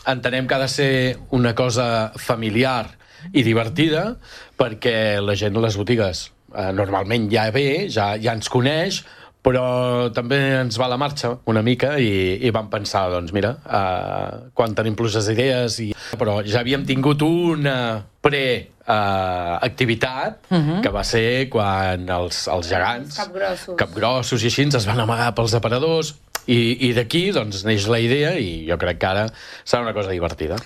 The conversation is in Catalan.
entenem que ha de ser una cosa familiar i divertida, perquè la gent a les botigues normalment ja ve, ja ens coneix, però també ens va a la marxa una mica i vam pensar, doncs mira, quan tenim pluges d'idees, però ja havíem tingut una activitat que va ser quan els gegants, capgrossos i així, es van amagar pels aparadors, i d'aquí doncs neix la idea, i jo crec que ara serà una cosa divertida.